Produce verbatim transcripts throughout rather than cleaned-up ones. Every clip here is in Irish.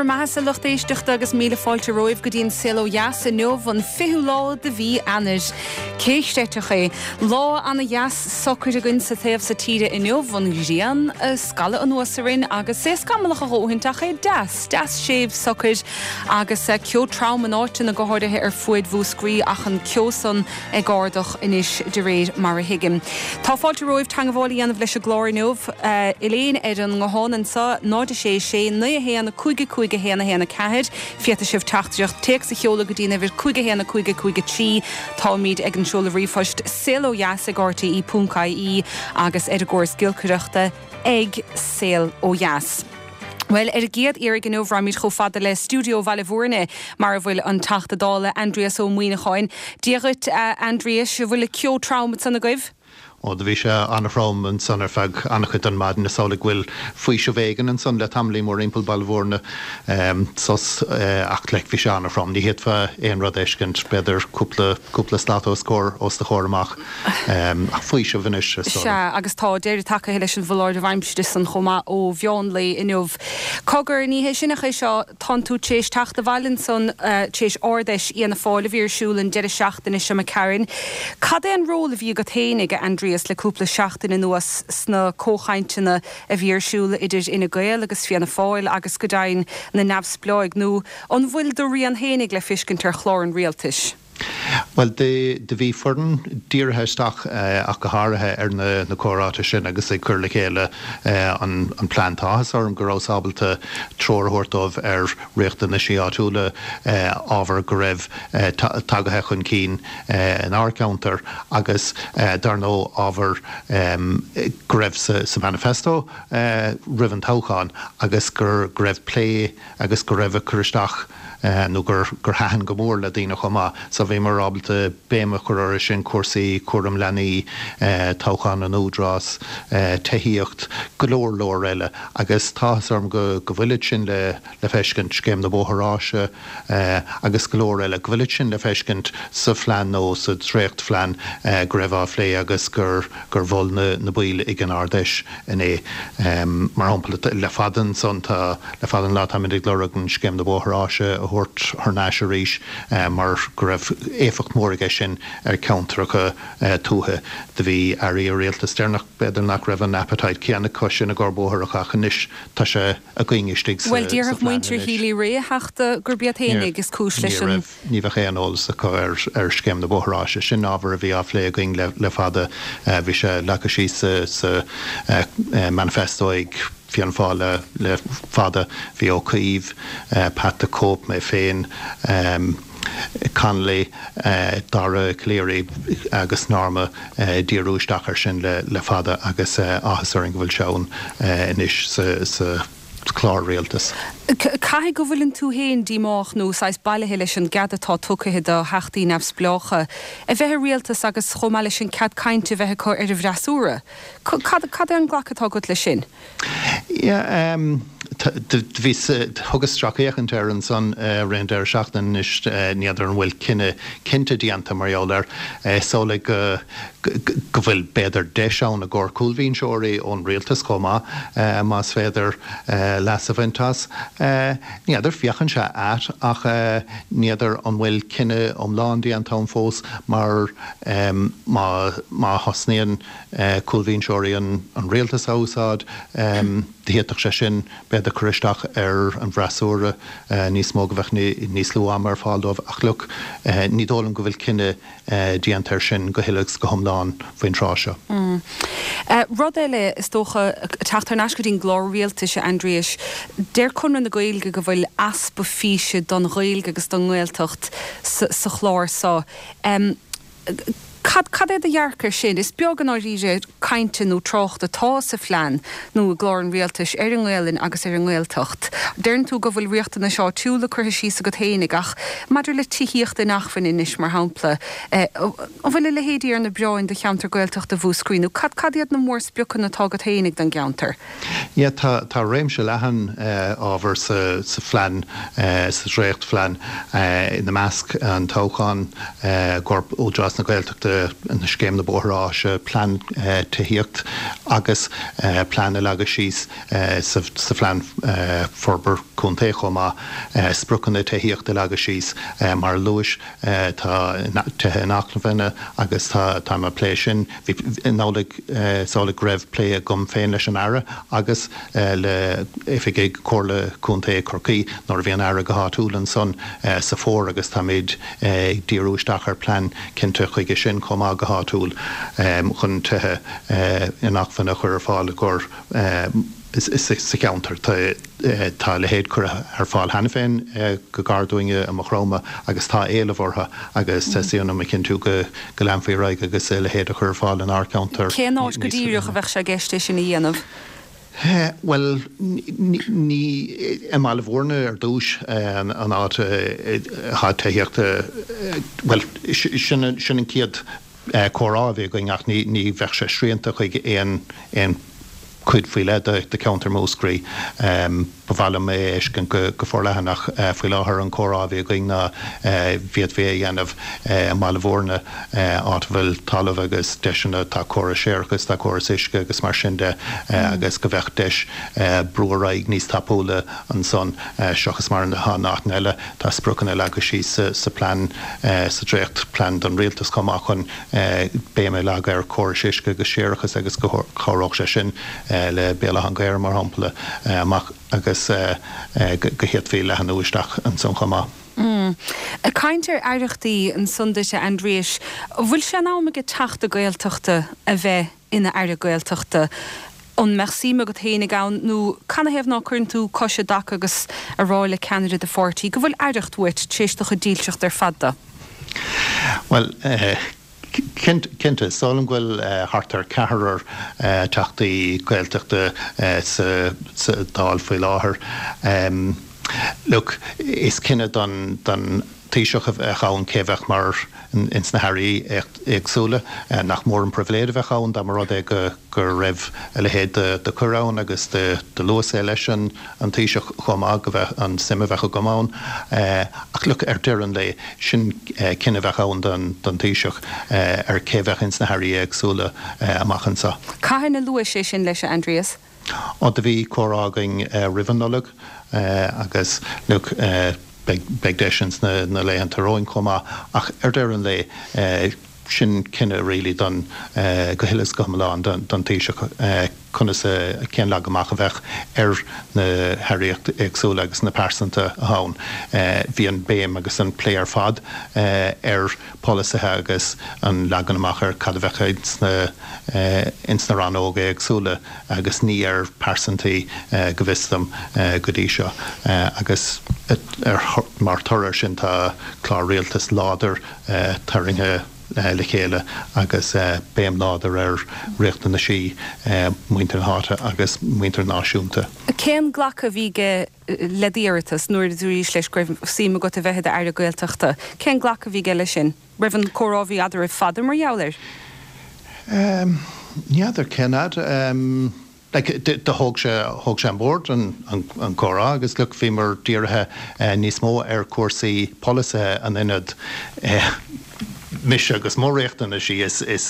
bhur mbeatha, a lucht éisteachta, agus míle fáilte romhaibh go dtí an Saol Ó Dheas inniu, an fichiú lá de mhí Eanáir. Cé chreidfeadh é? Lá ana-dheas socair againn sa taobh so tíre inniu, an ghrian ag scalladh anuas orainn agus é scamallach a dhóthaint ach é deas, deas séimh socair agus ceo trom in áiteanna, go háirithe ar fuaid Mhúscraí, ach an ceo san ag ardach anois de réir mar a thuigim. Tá fáilte romhaibh teagmháil a dhéanamh leis an gclár inniu. Elaine ar an nguthán anseo, náid a sé sé naoi a haon cúig cúig a haon a haon a ceathair. Féadfaidh sibh teachtaireacht téacs a sheoladh go dtí an uimhir cúig a haon a cúig a cúig a trí. Táimid ag an seoladh ríomhphoist saolodheas ag R T E ponc I E agus ar an gcóras giolcaireachta ag Saol Ó Dheas. Well, ar an gcéad iarraidh inniu raghaimid chomh fada le stiúideo Bhaile Bhúirne, mar a bhfuil an Teachta Dála Aindrias Ó Muimhneacháin. Dia dhuit, Aindrias, an bhfuil ceo trom ansan agaibh? Ó, do bhí sé an-throm ansan ar feadh an-chuid den maidin. Is amhlaidh go bhfuil faoiseamh éigin ansan le tamaillín mórthimpeall Baile Bhúirne, sos, ach like bhí sé an-throm. Ní fhéadfá aon rud a fheiscint, b'fhéidir cúpla cúpla slat os comhair os do chomhair amach, ach faoiseamh anois is dóigh liom. Sea, agus tá deireadh tagtha leis an bhfoláireamh aimsire san chomh maith ó mheán lae inniu. Cogar, ní hé sin ach é seo, tánn tú tar éis teacht abhaile ansan tar éis Ard-Fheis Fhianna Fáil a bhí ar siúl an deireadh seachtaine seo imigh tharainn. Cad é an ról a bhí agat féinig, a Aindrias, le cúpla seachtain anuas sna comhchainteanna a bhí ar siúl idir Fhine Gael agus Fianna Fáil agus go deimhin na neamhspleáigh, nó an bhfuil do rian féinig le feiscint ar chlár an rialtais? Well, do bhí foireann dírithe isteach ach go háirithe ar na na comhráite sin agus ag cur le chéile an an plean. Tá áthas orm go rabhas ábalta treoir a thabhairt dóibh ar riachtanaisí áitiúla, ábhar go raibh tagaithe chun cinn inár gceantar agus dar ndóigh ábhar go raibh sa sa manifesto roimh an toghchán agus gur go raibh plé agus go raibh ag cur isteach nó gur gur thaitin go mór le daoine chomh maith. So bhíomar ábalta béim a chur orthu sin, cúrsaí cúram leanaí, toghchán an Údarás, tithíocht, go leor leor eile, agus tá áthas orm go go bhfuil sin le le feiscint, scéim na bóthar áise agus go leor eile, go bhfuil sin le feiscint sa phlean nó sa dréachtphlean go raibh á phlé agus gur gur mhol na na baill ag an Ard-Fheis inné. Mar shampla, le fada ansan tá le fada an lá táimid ag lorg an scéim na bóthar áise a thabhairt thar n-ais arís mar go raibh éifeacht mór aige sin ar ceantracha tuaithe. Do bhí airí rialtais deireanach, b'fhéidir nach raibh an appetite céanna acu sin i gcomhair bóithreacha, ach anois tá sé againn istigh sa Well, déarfadh muintir Healy-Rae, a Theachta, gurb iad féinig is cúis leis an. Ní bheadh aon eolas acu ar ar scéim na bóthar áise. Sin ábhar a bhí á phlé againn le le fada. Bhí sé leagtha síos sa sa manifesto ag Fianna Fáil le le fada. Bhí Ó Cuív, Pat the Cope, mé féin, Connolly, Dara Calleary agus Norma díriú isteach ar sin le le fada agus áthas orainn go bhfuil sé ann anois sa sa chlár rialtais. Caithfidh go bhfuileann tú féin díomách nó saghas bailithe leis an gcead atá tugtha do theachtaí neamhspleácha a bheith i rialtas agus chomh maith leis an cead cainte bheith acu ar an bhfreasúra. Cad cad é an glacadh atá agat leis sin? Yeah, um, bhí thugas sracfhéachaint ar ansan roimh an deireadh seachtaine anois. N'fheadar an bhfuil cinneadh cinnte déanta mar gheall air. Is amhlaidh go go bhfuil b'fhéidir deis ann i gcomhair cúlbhinseoirí ón rialtas chomh maith, más féidir leas a bhaint as. N'fheadar, féachann sé ait, ach n'fheadar an bhfuil cinneadh iomlán déanta ann fós, mar má má thosnaíonn cúlbhinseoirí an an rialtas a úsáid, d'fhéadfadh sé sin b'fhéidir cur isteach ar an bhfreasúra níos mó, go bheadh níos lú ama ar fáil dóibh. Ach look, ní dóigh liom go bhfuil cinneadh déanta air sin go huile agus go hiomlán faoin tráth seo. Rud eile, is dócha, teacht thar n-ais go dtí'n gclár rialtais, a Aindriais, deir Conradh na Gaeilge go bhfuil easpa físe don Ghaeilge agus don nGaeltacht sa chlár seo. Cad cad é do dhearcadh air sin? Is beag i ndáiríre cainte nó trácht atá sa phlean nó i gclár an rialtais ar an nGaelainn agus ar an nGaeltacht. Deireann tú go bhfuil riachtanais áitiúla curtha síos agat fhéinig, ach maidir le tithíocht inacmhainne anois, mar shampla, an bhfuil a leithéidí ar na bioráin do cheantar Gaeltachta Mhúscraí, nó cad cad iad na mórspriocanna atá agat fhéinig don gceantar? Yeah, tá tá réimse leathan ábhar sa sa phlean, sa dréachtphlean, ina measc an toghchán i gcomhair Údarás na Gaeltachta. na scéim na bóithre áise, plean tithíocht agus plean a leagadh síos sa phlean forbartha contae chomh maith, spriocanna tithíochta a leagadh síos. Mar a luais, tá tithe inacmhainne agus táim ag plé sin. Bhí, in amhlaidh, is amhlaidh go raibh plé agam féin leis an Aire agus le oifigigh Comhairle Contae Chorcaí nuair a bhí an Aire go háitiúil ansan sa fómhar agus táimid ag díriú isteach ar plean cinnte chuige sin chomh maith go háitiúil chun tithe inacmhainne a chur ar fáil i gcomhair sa cheantar. Tá a leithéid curtha ar fáil cheana féin go gar dúinne i Maigh Chromtha agus tá éileamh orthu agus teastaíonn uaim a chinntiú go leanfaí ar aghaidh agus a leithéid a chur ar fáil inár gceantar. Cén áit go díreach a bheadh sé i gceist é sin a dhéanamh? Bhuel, ní i mBaile Bhúirne ar dtús an áit atá tithíocht, bhuel, sin an chéad comhrá a bhí againn ach ní bheadh sé srianta chuig aon cuid faoi leith de cheantar Mhúscraí. Ba mhaith liom é a fheiscint go forleathan ach faoi láthair an comhrá a bhí againn ná bhféadfaí é a dhéanamh i mBaile Bhúirne, áit a bhfuil talamh agus deiseanna, tá córas séarachais, tá córas uisce agus mar sin de agus go bheadh deis brú ar aghaidh níos tapúla ansan seachas mar atá in áiteanna eile. Tá spriocanna leagtha síos sa plean, sa dréacht plean don rialtas chomh maith chun béim a leagadh ar chórais uisce agus séarachais agus go cabhródh sé sin le Béal Átha an Ghaorthaidh, mar shampla, amach agus go bhféadfaí leathnú isteach ansan chomh maith. Ag caint ar aireachtaí ansan duit, a Aindriais, an bhfuil sé in am ag Teachta Gaeltachta a bheith ina Aire Gaeltachta? An mbeadh suim agat fhéinig ann nó canathaobh ná cuireann tú cos i dtaca agus a rá le ceannaire do pháirtí go bhfuil aireacht uait tar éis do chuid dílseacht ar fad dó? Bhuel, cinnte, is dóigh liom go bhfuil thart ar ceathrar Teachtaí Gaeltachta sa Dáil faoi láthair. Look, is cinneadh don Taoiseach a bheadh ann cé a bheadh mar ins na hairí éagsúla. Nach mór an pribhléid a bheadh ann dá mba rud é go raibh a leithéid de chuireadh ann agus do luas é leis an Taoiseach chomh maith go bheadh an suim a bheadh agam ann. Ach look, ar deireadh an lae, sin cinneadh a bheadh ann don Taoiseach ar cé a bheadh ins na hairí éagsúla amach anseo. Cathain a luais é sin leis, a Aindrias? Ó, do bhí comhrá againn roimh an Nollaig agus look, beidh deis ins na laethanta romhainn chomh maith ach ar deireadh an lae, sin cinneadh really don, go huile is go hiomlán don Taoiseach conas, cén leagan amach a bheadh ar na hairí éagsúla agus na pearsanta atá ann. Bhí an béim agus an plé ar fad ar pholasaithe agus an leagan amach ar cad a bheadh ins na ins na rannóga éagsúla agus ní ar pearsantaí go bhfios dom go dtí seo agus mar thoradh air sin tá clár rialtais láidir tarraingthe le chéile agus béim láidir ar riachtanaisí muintir na háite agus muintir náisiúnta. Cén glacadh a bhí aige le d'iarratas nuair a dúraís leis go raibh suim agat a bheith i d'Aire Gaeltachta? Cén glacadh a bhí aige leis sin? Raibh an comhrá a bhí eadraibh fada mar gheall air? Ní fheadar cén fhad. Like, do thóg sé, thóg sé an bord an, an comhrá agus look, bhíomar dírithe níos mó ar chúrsaí polasaithe in ionad mise agus mo riachtanaisí, is, is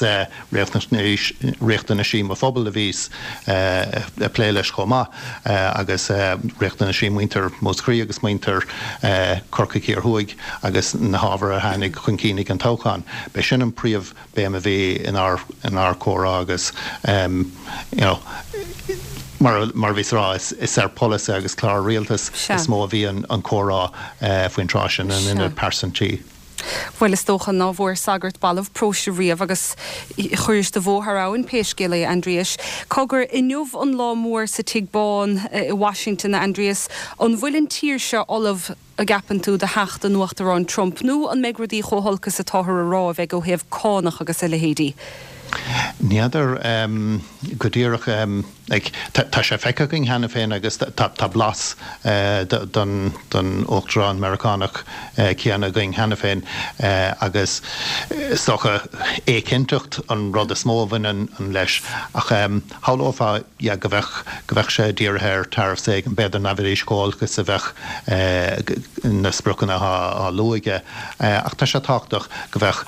riachtanaisí, riachtanaisí mo phobail a bhíos ag plé leis chomh maith agus riachtanaisí muintir Mhúscraí agus muintir Chorcaigh Thiar Thuaidh agus na hábhair a tháinig chun cinn ag an toghchán. B'é sin an príomh béim a bhí inár inár comhrá agus you know mar mar a bhíos a rá is is ar polasaithe agus clár rialtais is mó a bhí an an comhrá faoin tráth sin in ionad pearsantaí. Bhuel is dócha ná bhfuair sagart balbh próiste riamh agus chuiris do bhó thar abhainn pé scéal é, a Aindriais. Cogar, inniu an lá mór sa Tigh Bán i Washington, a Aindrias, an bhfuil an tír seo ullamh, an gceapann tú, do theacht an Uachtaráin Trump nó an mbeidh rudaí chomh holc is atáthar a rá a bheidh ó thaobh cánach agus a leithéidí? N'fheadar go díreach. Tá sé feicthe againn cheana féin agus tá blas den Uachtarán Meiriceánach céanna againn cheana féin agus is dócha éiginnteacht an rud is mó a bhaineann leis ach shamhlófá go bheadh go bheadh sé dírithe ar tariffs éigin, b'fhéidir nach bhféadfaidís chomh olc is a bheadh na spriocanna á lua aige ach tá sé tábhachtach go bheadh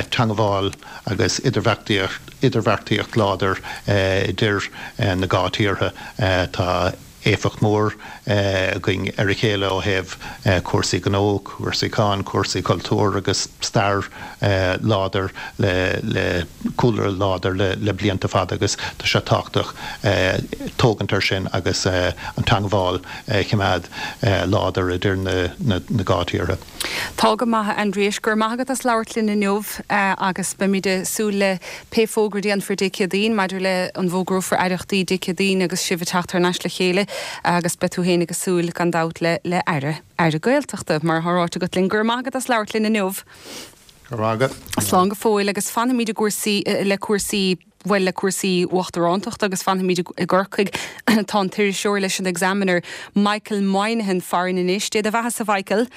teangmháil agus idirbheartaíocht láidir idir na dhá tíortha. Tá éifeacht mór againn ar a chéile ó thaobh cúrsaí gnó, cúrsaí cáin, cúrsaí cultúir agus stair láidir le cúlra láidir le blianta fada agus tá sé tábhachtach tógaint ar sin agus an teangmháil a choimeád láidir idir na dhá tíortha. Tá go maith Aindrias, go raibh maith agat as labhairt linn inniu agus beimid ag súil le pé fógra a dhéanfar Dé Céadaoin maidir le an bhfógrófar aireachtaí Dé Céadaoin agus sibh ag teacht thar n-ais le chéile agus beidh tú féin ag súil gan dabht le le aire aire Gaeltachta mar atá ráite agat linn. Go raibh maith agat as labhairt linn inniu. Go raibh maith agat. Slán go fóill agus fanfaimid i gcúrsaí le cúrsaí bhuel le cúrsaí uachtarántacht agus fanfaimid i gCorcaigh. Tá an t-iriseoir leis an Examiner, Michael Moynihan farainn anois. Dé do bheatha-sa Mhichael.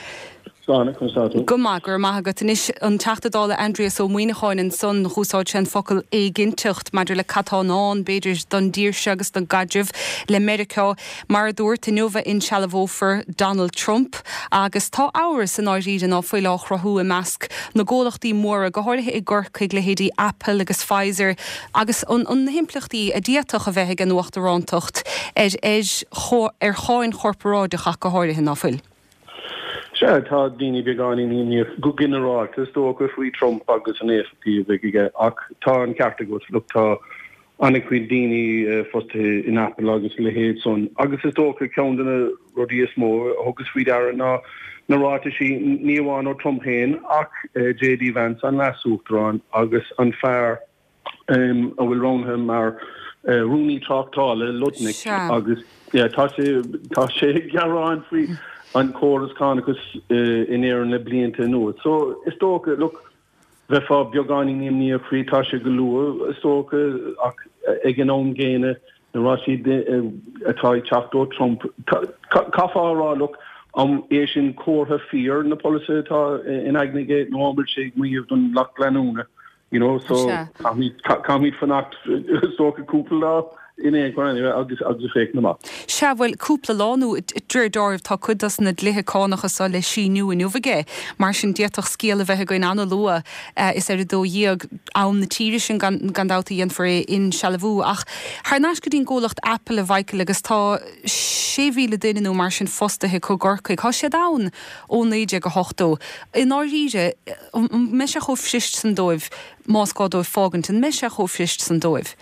Slán, conas tá tú? Go maith, go raibh maith agat. Anois, an Teachta Dála Aindrias Ó Muimhneacháin ansan, dh'úsáid sé an focal éiginnteacht maidir le cad tá i ndán, b'fhéidir, don dtír seo agus don gcaidreamh le Meiriceá. Mar a dúrt, inniu a insealbhófar Donald Trump agus tá amhras i ndáiríre ná fuil á chruthú i measc na gcomhlachtaí móra, go háirithe i gCorcaigh, leithéidí Apple agus Pfizer, agus an na himpleachtaí a d'fhéadfadh a bheith ag an uachtarántacht ar ar cháin chorparáideach ach go háirithe, ná fuil? Sea, tá daoine beagáinín imníoch go ginearálta, is dócha, faoi Trump agus an éifeachtaí a bheidh aige, ach tá an ceart agat, look, tá an-chuid daoine fostaithe in Apple agus a leithéid san, agus is dócha ceann de na rudaí is mó a thugas faoi deara ná na ráitisí, ní amháin ó Trump féin ach JD Vance, an leas-uachtarán, agus an fear a bhfuil roghnaithe mar rúnaí tráchtála, Lutnick, agus tá sé tá sé ag gearán faoi an córas cánachais in Éirinn le blianta anuas. So is dócha, look, bheifeá beagáinín imníoch faoi, tá sé go luath is dócha, ach ag an am gcéanna, na ráitisí atá ag teacht ó Trump, caithfeá a rá, look, an é sin comhartha fíor na polasaithe atá in aigne aige nó an bhfuil sé ag maíomh don lucht leanúna? You know, so caithfimid fanacht is dócha cúpla lá in aon chor anyway agus agus féachaint amach. Sea, bhuel, cúpla lá nó de réir dealraimh tá cuid dos na dlíthe cánacha so le síniú inniu aige, mar sin d'fhéadfadh scéal a bheith againn an-luath is ar a dó dhéag am na tíre sin gan gan dabht a dhéanfar é insealbhú. Ach thar n-ais go dtí an gcomhlacht Apple a Mhichael agus tá sé mhíle duine nó mar sin fostaithe acu i gCorcaigh. Tá siad ann ó naoi déag a hochtó. I ndáiríre, an mbeidh sé chomh fuirist san dóibh, más gá dóibh fágaint, an mbeidh sé chomh fuirist san dóibh?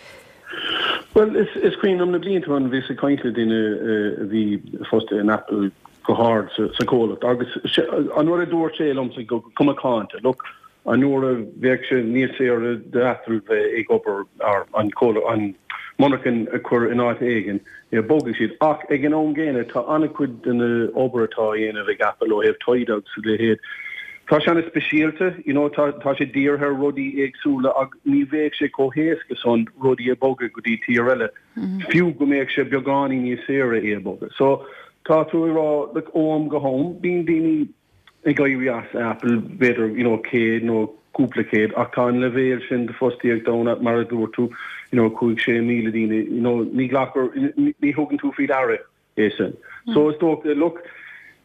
Bhuel, is is cuimhin liom na blianta ó shin, bhíos ag caint le duine a bhí fostaithe in Apple go hard sa sa chomhlacht agus an rud a dúirt sé liomsa go cuma cáinte, look, an uair a bheadh sé níos saoire d'Apple bheith ag obair ar an comhlacht, an monarchan a chur in áit éigin, bogfaidh siad. Ach ag an am gcéanna, tá an-chuid den obair atá á dhéanamh ag Apple ó thaobh taighde agus a leithéid, tá sé an-speisialta, you know, tá tá sé dírithe ar rudaí éagsúla ach ní bheadh sé chomh héasca san rudaí a bhogadh go dtí tír eile, fiú go mbeadh sé beagáinín níos saoire é a bhogadh. So, tá tú ag rá, like, ó am go ham, bíonn daoine, ag éirí as Apple, b'fhéidir, you know, céad nó cúpla céad, ach tá an leibhéal sin de fostaíocht ann, mar a dúirt tú, you know, cúig, sé míle daoine, you know, ní ghlactar, ní thugann tú faoi deara é sin. So is dócha, look,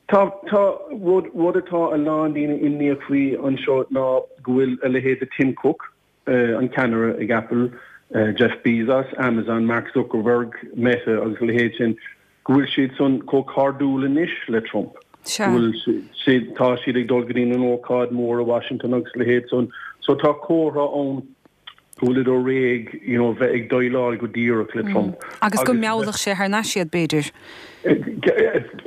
tá, tá, rud, rud atá a lán daoine imníoch faoi anseo ná go bhfuil a leithéid de Tim Cook, an ceannaire ag Apple, Jeff Bezos, Amazon, Mark Zuckerberg, Meta agus a leithéid sin, go bhfuil siad san chomh cairdiúil anois le Trump, go bhfuil siad, tá siad ag dul go dtí an ócáid mór i Washington agus a leithéid san. So tá comhartha ann go bhfuilid réidh, you know, bheith ag déileáil go díreach le Trump. Agus go meallfadh sé thar n-ais iad, b'fhéidir.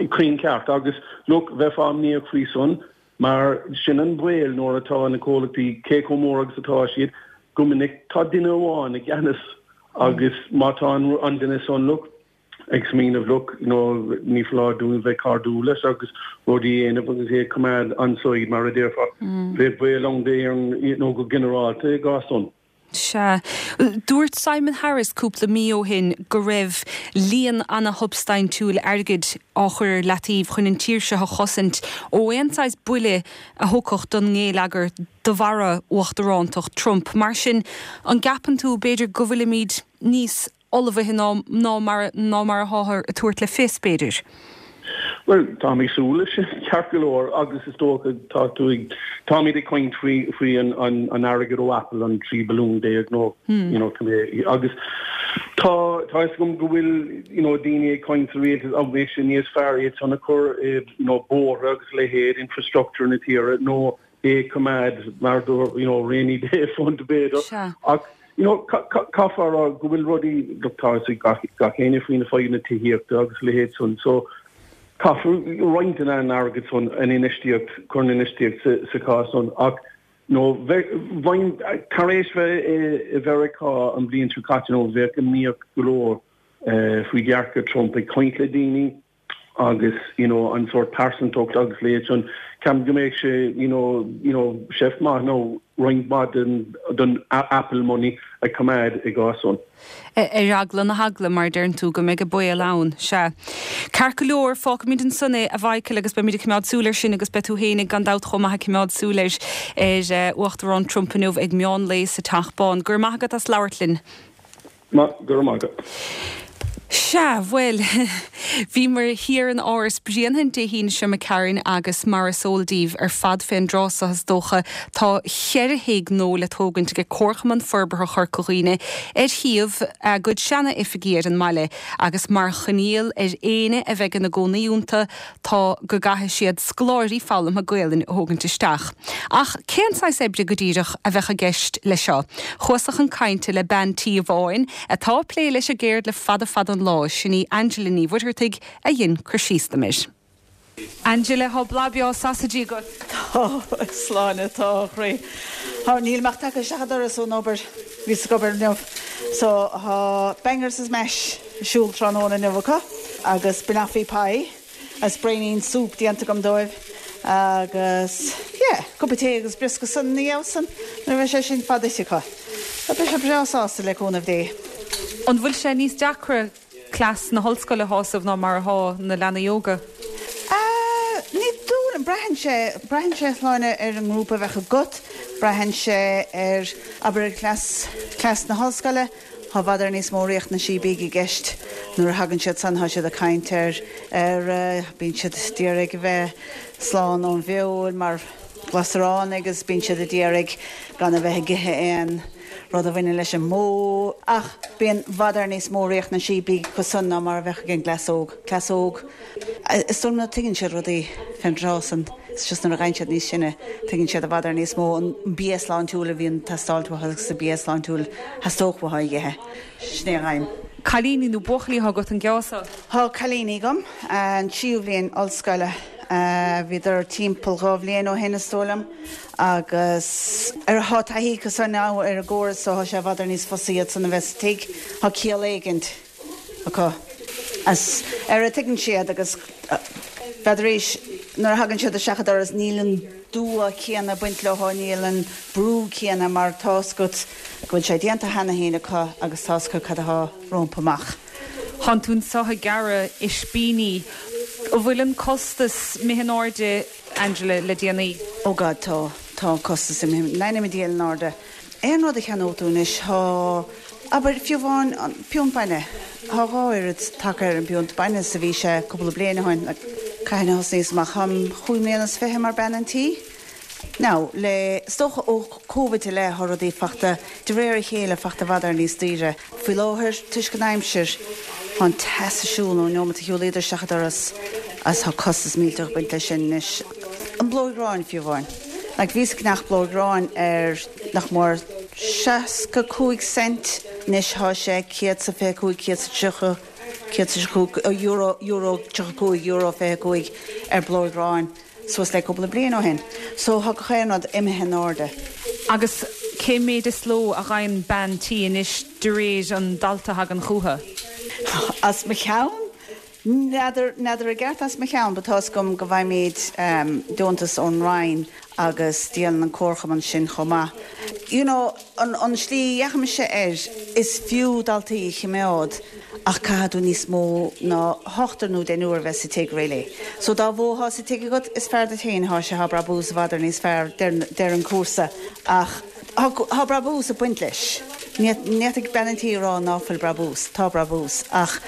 Cruinn ceart. Agus look, bheifeá imníoch faoi san. Mar sin an baol nuair atá na comhlachtaí, cé chomh mór agus atá siad, go minic tá duine amháin i gceannas agus má tá an duine san, look, ag smaoineamh, look, you know, ní foláir dúinn bheith cairdiúil leis agus rudaí a dhéanamh agus é a choimeád on side mar a déarfá, bheadh baol ann d'Éirinn, you know, go ginearálta i gcás san. Sea. Dúirt Simon Harris cúpla mí ó shin go raibh líon ana-shubstaintiúil airgid á chur ar leataobh chun an tír seo a chosaint ó aon saghas buille a thiocfadh don ngeilleagar de bharra uachtarántacht Trump. Mar sin, an gceapann tú b'fhéidir go bhfuilimid níos ullmhaithe ná ná mar ná mar atáthar ag tabhairt le fios b'fhéidir? Well, tá mé súil leis ceart go leor agus is dócha tá tú ag táimid ag caint faoi faoi an an an airgead ó Apple an trí billiún déag nó you know agus tá tá is gom go bhfuil you know daoine ag caint sa rialtas an mbeadh sé níos fearr iad san a chur i you know bóithre agus leithéid infrastructure na tíre nó é coimeád mar do you know rainy day fund b'fhéidir ach you know caithfear go bhfuil rudaí tá gach gach éinne faoina fadhbanna tithíochta agus leithéid san so caithfear roinnt den airgead san an infheistíocht chur an infheistíocht sa, sa chás san ach no bhain tar éis bheith i Mheiriceá an bhliain seo caite nó bheadh imníoch go leor uh, faoi dhearcadh Trump ag caint le daoine agus you know an sórt pearsantacht agus leithéid san ceapaim go mbeadh sé you know you know seift maith nó roinnt mhaith den den Apple money a choimeád i gcás san. Ar eagla na heagla mar deireann tú go mbeidh baol ann sea. Ceart go leor fágfaimid ansan é a Mhichael agus beimid ag coimeád súil air sin agus beidh tú féin gan dabht chomh maith ag coimeád súil air ar Uachtarán Trump inniu ag meán lae sa Teach Bán. Gur maith agat as labhairt linn. Ma gur maith. Sea, bhuel, bhíomar thiar in Áras Bhriain Dé hAoine seo imigh tharainn agus mar is eol daoibh ar fad fén dtráth so is dócha tá ceithre thigh nua le tógaint ag Comharchumann Forbartha Chorca Dhuibhne ar shuíomh a gcuid seana-oifigí ar an mbaile agus mar choinníoll ar éinne a bheidh ina gcónaí iontu tá go gcaithfidh siad scoláirí foghlamtha Gaelainne a thógaint isteach. Ach cén saghas oibre go díreach a bheadh i gceist le seo. Chuas-sa chun cainte le bean tí amháin atá ag plé leis an gceird le fada fada an lá sin í Angela Ní Mhuircheartaigh a dhein cur síos dom air. Angela tá blas breá sasaidí agat. Tá Sláine tá chroí. Tá níl mé ach tagtha isteach an doras ón obair bhíos ag obair inniu. So tá bangers is mash siúl tráthnóna inniu acu agus banoffee pie as braoinín soup déanta agam dóibh agus yeah, cupa tae agus briosca san ní san nuair bheidh sé sin fada acu. Tá beidh sé breá sásta le cúnamh Dé. An bhfuil sé níos deacra cleas na hollscoile a shásamh ná mar atá na leanaí óga? Uh, ní dóigh braitheann sé braitheann sé Sláine ar an ngrúpa a bheadh agat, braitheann sé ar abair cleas cleas na hollscoile, Tá i bhfad níos mó riachtanaisí bídh i gceist nuair a thagann siad san tá siad ag caint ar ar uh, bíonn siad d'iarraidh a bheith slán ón bhfeoil mar glasarán agus bíonn siad a d'iarraidh gan a bheith ag ithe aon rud a bhaineann leis an mbó ach bíonn i bhfad níos mó riachtanaisí bídh acu san ná mar a bheadh ag an gcleas óg cleas óg. Is dóigh liom tuigeann siad rudaí fén dtráth san is just nuair a ghabhann siad níos sine tuigeann siad i bhfad níos mó an bia sláintiúil a bhíonn ag teastáil agus a bia sláintiúil theastódh uathu a ithe. Sin é an aidhm. Cailíní nó buachaillí agat an geasa? Tá cailíní agam an tríú bliain ollscoile bhíodar timpeall dhá bhliain ó shin is dóigh liom agus ar thá taithí acu san ar an gcóras so tá sé i bhfad níos fusa iad san a bheith sa tigh Tá ciall éigin acu. As ar a tuigeann siad agus b'fhéidir éis nuair a thagann siad isteach an doras níl an dua céanna ag baint leo níl an brú céanna mar tá's agat go bhfuil sé déanta cheana féin acu agus tá's acu cad atá rompu amach. Tá tú anseo ag gearradh ispíní An bhfuil an costas imithe in airde Angela le déanaí. Ó God tá tá costas imithe diail in airde. Aon rud a cheannódh tú anois tá abair fiú amháin an piúnt bainne Tá dhá oiread tagtha ar an bpiúnt bainne is a bhí sé cúpla bliain ó shin cathain a thosnaíos amach táim cúig mbliana is fiche mar bean an tí. Now le is dócha ó Covid i leith tá rudaí fachta de réir a chéile fachta i bhfad níos daoire. Faoi láthair toisc an aimsir Tá an teas ar siúl ón nóiméad a shiúlaíodar isteach an doras as tá costas millteach ag baint leis sin anois. An blóg gráin fiú amháin. Like bhíos ag ceannach blóg gráin ar nach mór seasca cúig cent anois tá sé céad sa fiche cúig céad sa tríocha céad sa cúig euro euro tríocha cúig euro fiche cúig ar blóg gráin suas le cúpla bliain ó shin. So tá gach aon rud imithe in airde. Agus cé méid is ló a ghaibheann bean tí anois de réir an dalta a thagann chucu. As mo cheann? N'fheadar n'fheadar i gceart as mo cheann, but tá's agam go bhfaighimid um, deontas ón Roinn agus díolann an comharchumann sin chomh maith. You know, an, an slí a fheicimse air, is fiú daltaí a chimeád ach caithfidh tú níos mó ná hochtar nó deichniúr a bheith sa tigh really. So dá mhó thá sa tigh agat is fearr duit féin thá sé thá brabús i bhfad níos fearr deireadh an cúrsa ach thá brabús ag baint leis. Ní fhéadfadh bean an tí a rá ná fuil brabús, tá brabús ach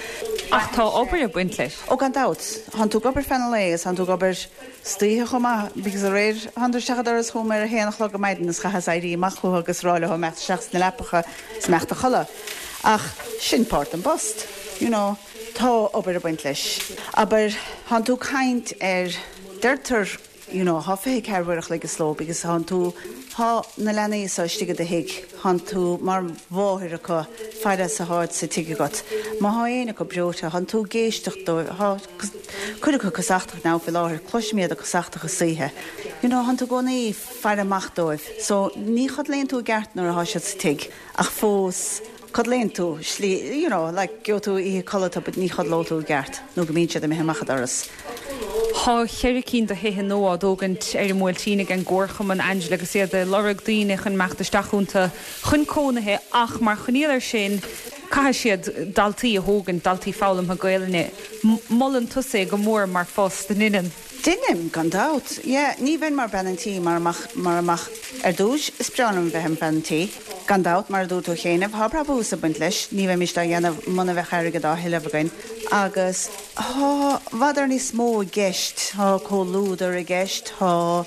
Ach tá obair ag baint leis. Ó gan dabht, thánn tú ag obair feadh an lae is thánn tú ag obair istoíche chomh maith because aréir thánadar isteach an doras chugam ar a haon a chlog ar maidin is chaitheas éirí amach chucu agus rá leo imeacht isteach sna leapacha is imeacht a chodladh. Ach sin páirt den bpost, you know, tá obair ag baint leis. Abair thánn tú ag caint ar deirtear you know, thá fiche ceathair uair a chloig sa ló because thánn tú thá na leanaí so istigh i do thigh, thánn tú mar mháthair acu fad is atháid sa tigh agat. Má thá éinne acu breoite, thánn tú ag éisteacht dóibh, thá cuid acu casachtach now faoi láthair, cloisim iad ag casachtach istoíche. You know, thánn tú i gcónaí ag faire amach dóibh. So ní chodlaíonn tú i gceart nuair athá siad sa tigh ach fós codlaíonn tú slí, you know, like gheobhaidh tú oíche codlata but ní chodlóidh tú i gceart nó go mbíonn siad imithe amach an doras. Tá ceithre cinn de thithe nua á dtógaint ar an mBuailtín ag an gComharchumann Angela agus iad ag lorg daoine chun imeacht isteach iontu chun cónaithe ach mar choinníoll air sin caithfidh siad daltaí a thógaint daltaí foghlamtha Gaelainne. Molann tusa é go mór mar phost an ndeineann. Deinim gan dabht. Yeah, ní bheinn mar bean an tí mar amach mar amach ar dtús is breá liom bheith im bhean an tí. Gan dabht mar a dúirt tú cheana, thá brabús ag baint leis, ní bheimis á dhéanamh muna bheadh airgead á thuilleamh againn. Agus thá i bhfad ar níos mó i gceist, thá comhluadar i gceist, thá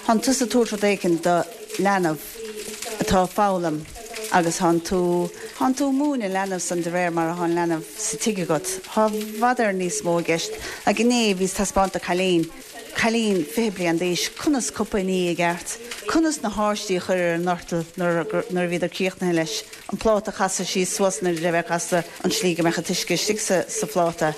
thánn tusa ag tabhairt rud éicint do leanbh atá ag foghlaim agus thánn tú thánn tú ag múineadh an leanbh san de réir mar athá an leanbh sa tigh agat. Thá i bhfad ar níos mó i gceist. Like inné bhíos ag taispeáint do cailín, cailín fiche bliain d'aois, conas cupa a ní i gceart, conas na háistí a chur ar an ndortal nuair nuair a bhíodar críochnaithe leis, an pláta a chasadh síos suas nuair a bheith casta an tslí go mbeadh an t-uisce istigh sa sa phláta.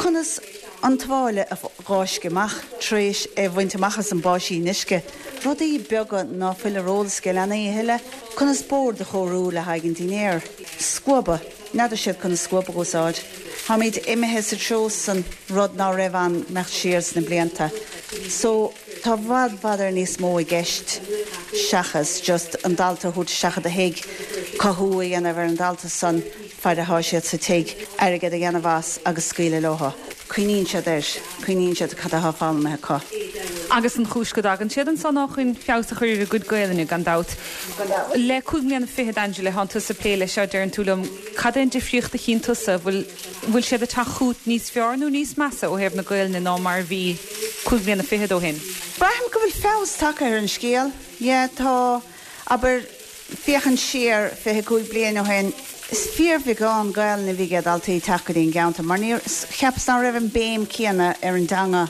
Conas an tuáille a fháisceadh amach tar éis é a bhaint amach as an báisín uisce. Rudaí beaga ná fuil ar eolas ag leanaí a thuilleadh. Conas bord a chóiriú le haghaidh an dinnéir. Scuaba. N'fheadar siad conas scuab a úsáid. Táimid imithe sa treo san, rud ná raibh ann imeacht siar sna blianta. So, tá i bhfad bhfad ar níos mó i gceist seachas just an dalta a thabhairt isteach i do thigh, cothú a dhéanamh ar an dalta san, fad athá siad sa tigh, airgead a dhéanamh as agus scaoileadh leo. Cuimhníonn siad air, cuimhníonn siad cad athá foghlamtha acu. Agus an chúis go dtagann siad ansan ná chun feabhas a chur ar a gcuid Gaelainne, gan dabht. Le cúig mbliana fichead, Angela, thánn tusa ag plé leis seo, deireann tú liom. Cad é an difríocht a chíonn tusa? Bhfuil, bhfuil siad ag teacht chugat níos fearr nó níos measa ó thaobh na Gaelainne ná mar a bhí cúig bliana fichead ó shin? Braithim go bhfuil feabhas tagtha ar an scéal. Yeah, tá, abair, féachaint siar fiche cúig bliain ó shin, is fíorbheagán Gaelainne a bhí ag daltaí ag teacht go dtí an gceantar mar níor, cheapas ná raibh an béim céanna ar an dteanga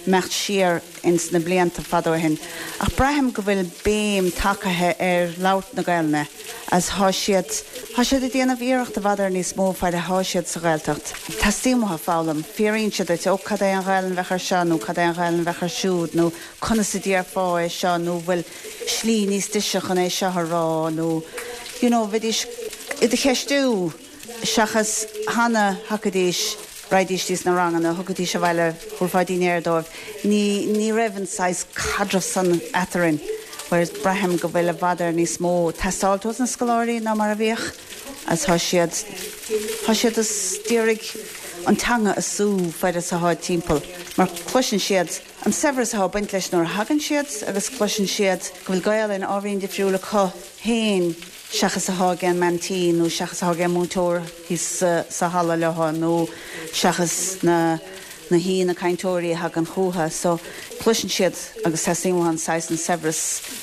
imeacht siar ins na blianta fada ó shin. Ach braithim go bhfuil béim tagtha ar labhairt na Gaelainne as thá siad, thá siad ag déanamh iarracht i bhfad ar níos mó fad athá siad sa Ghaeltacht. Teastaíonn uathu foghlaim. Fiafraíonn siad duit, ó cad é an Ghaelainn a bheadh ar seo nó cad é an Ghaelainn a bheadh ar siúd nó conas a déarfá é seo nó bhfuil slí níos deise chun é seo a rá nó you know bheidís i do cheistiú seachas cheana thagaidís, raghaidís dtí sna ranganna, thugaidís abhaile, thabharfá dinnéar dóibh. Ní, ní raibh an saghas caidreamh san eatarinn whereas braithim go bhfuil i bhfad ar níos mó teastáilt ós na scoláirí ná mar a bhíodh as thá siad, thá siad ag iarraidh an teanga a sú fad is atháid timpeall mar cloiseann siad an saibhreas athá ag baint leis nuair a thagann siad agus cloiseann siad go bhfuil Gaelainn ábhairín difriúil acu féin seachas athá ag an mbean tí nó seachas athá ag an múinteoir thíos sa halla leo nó seachas na na haíonna cainteoirí a thagann chucu. So cloiseann siad agus teastaíonn uathu an saghas an saibhreas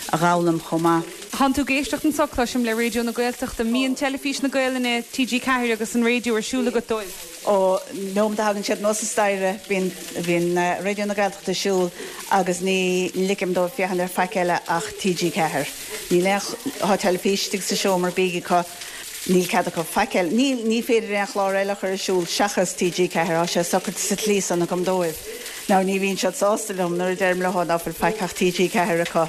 a dh'fhoghlaim chomh maith. Tánn tú ag éisteacht anso, cloisim, le Raidió na Gaeltachta. Mbíonn Teilifís na Gaelainne, T G ceathair agus an raidió ar siúl agat dóibh? Ón nóiméad a thagann siad anuas an staighre, bíonn, bíonn Raidió na Gaeltachta ar siúl agus ní ligim dóibh féachaint ar faic eile ach T G ceathair. Níl aon, tá teilifís istigh sa seomra bídh acu, níl cead acu faic eile, níl, ní féidir aon chlár eile a chur ar siúl seachas T G ceathair, tá sé socraithe sa tslí san agam dóibh. Now ní bhíonn siad sásta liom nuair a deirim leo ná fuil faic ach T G ceathair acu.